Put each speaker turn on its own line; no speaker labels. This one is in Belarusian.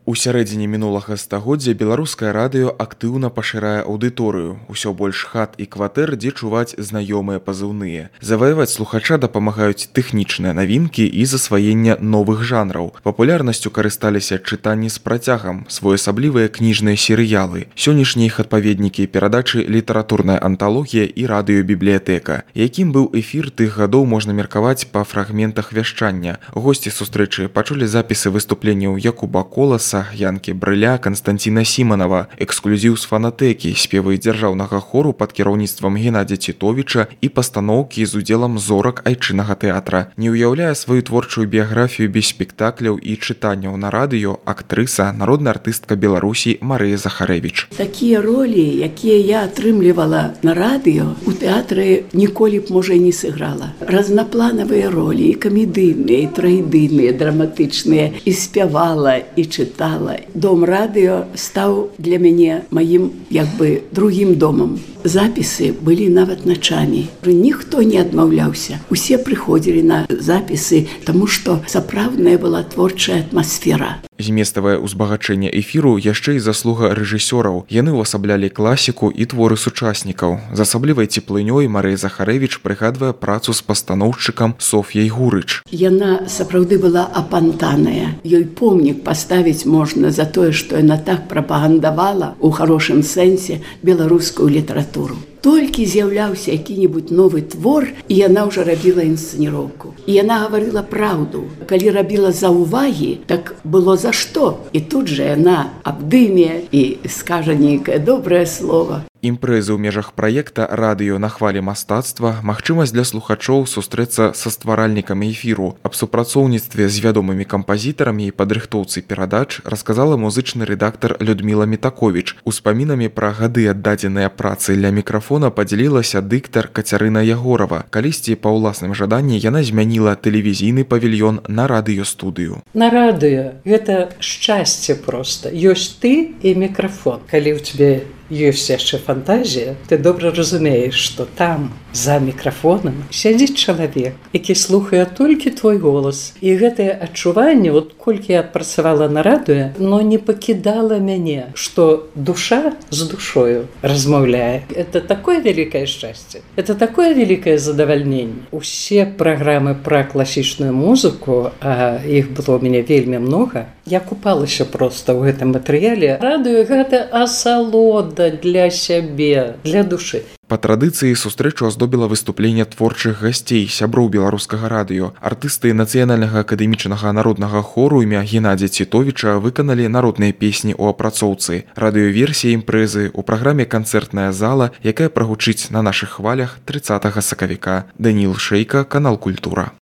У сярэдзіне мінулага стагоддзя беларускае радыё актыўна пашырае аўдыторыю. Усё больш хат і кватэр, дзе чуваць знаёмыя пазыўныя. Заваяваць слухача дапамагаюць тэхнічныя навінкі і засваенне новых жанраў. Папулярнасцю карысталіся чытанні з працягам, своеасаблівыя кніжныя серыялы. Сённяшнія іх адпаведнікі перадачы літаратурная анталогія і радыёбібліятэка. Якім быў эфір тых гадоў, можна меркаваць па фрагментах вяшчання. Госці сустрэчы пачулі запісы выступленняў Якуба Коласа, Янкі Брыля, Канстанціна Сіманава, эксклюзіў з фанатэкі, спевы дзяржаўнага хору пад кіраўніцтвам Геннадзя Цітовіча і пастаноўкі з удзелам зорак айчыннага тэатра. Не ўяўляе сваю творчую біяграфію без спектакляў і чытанняў на радыё актрыса, народная артыстка Беларусі Марыя Захарэвіч.
Такія ролі, якія я атрымлівала на радыё, у тэатры ніколі б, можа, і не сыграла. Разнапланавыя ролі, і камедыйныя, і трагедыйныя, драматычныя, і спявала, і чытала. Дом радыё стаў для мяне маім, другім домам. Запісы былі нават начамі. Ніхто не адмаўляўся. Усе прыходзілі на запісы, таму што сапраўдная была творчая атмасфера.
Зместавае ўзбагачэнне эфіру яшчэ і заслуга рэжысёраў. Яны ўвасаблялі класіку і творы сучаснікаў. З асаблівай цеплынёй Марыя Захарэвіч прыгадвае працу з пастаноўшчыкам Соф'яй Гурыч.
Яна сапраўды была апантаная. Ёй помнік паставіць можна за тое, што яна так прапагандавала у харошым сэнсе беларускую літаратуру. Толькі з'яўляўся які-небудзь новы твор, і яна ўжо рабіла інсцэніроўку. І яна гаварыла праўду. Калі рабіла заўвагі, так было за што. І тут жа яна абдыме і скажа нейкае добрае слова.
Імпрэзы ў межах праекта «Радыё на хвалі мастацтва» магчымасць для слухачоў сустрэцца са стваральнікамі эфіру. Аб супрацоўніцтве з вядомымі кампазітарамі і падрыхтоўцы перадач расказала музычны рэдактар Людміла Мітаковіч. Успамінамі пра гады аддадзеныя працы ля мікрафона падзялілася дыктар Кацярына Ягорава. Калісьці па ўласным жаданні яна змяніла тэлевізійны павільён на радыёстудыю.
На радыё гэта шчасце проста. Ёсць ты і мікрафон. Калі ў цябе ёсць яшчэ фантазія, ты добра разумееш, што там, за мікрафонам, сядзіць чалавек, які слухае толькі твой голас. І гэтае адчуванне, колькі я адпрацавала на радыё, но не пакідала мяне, што душа з душою размаўляе. Это такое вялікае шчасце, это такое вялікае задавальненне. Усе праграмы пра класічную музыку, а іх было ў мяне вельмі многа, я купалася проста ў гэтым матэрыяле. Радыё гэта асалода для сябе, для душы.
Па традыцыі сустрэчу аздобіла выступленне творчых гасцей, сяброў беларускага радыё. Артысты нацыянальнага акадэмічнага народнага хору імя Геннадзя Цітовіча выканалі народныя песні ў апрацоўцы. Радыёверсія імпрэзы ў праграме «Канцэртная зала», якая прагучыць на нашых хвалях 30 сакавіка. Даніл Шэйка, канал «Культура».